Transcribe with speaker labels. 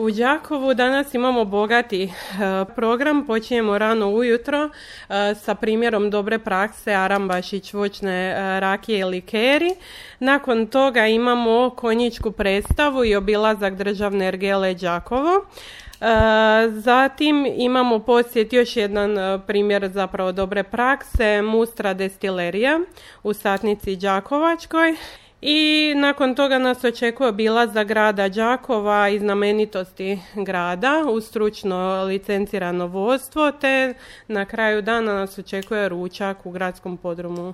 Speaker 1: U Đakovu danas imamo bogati program, počinjemo rano ujutro sa primjerom dobre prakse Arambašić voćne rakije i likeri. Nakon toga imamo konjičku predstavu i obilazak državne ergele Đakovo. Zatim imamo posjet još jedan primjer zapravo dobre prakse, Mustra destilerija u Satnici Đakovačkoj. I nakon toga nas očekuje obilazak grada Đakova i znamenitosti grada uz stručno licencirano vodstvo, te na kraju dana nas očekuje ručak u gradskom podrumu.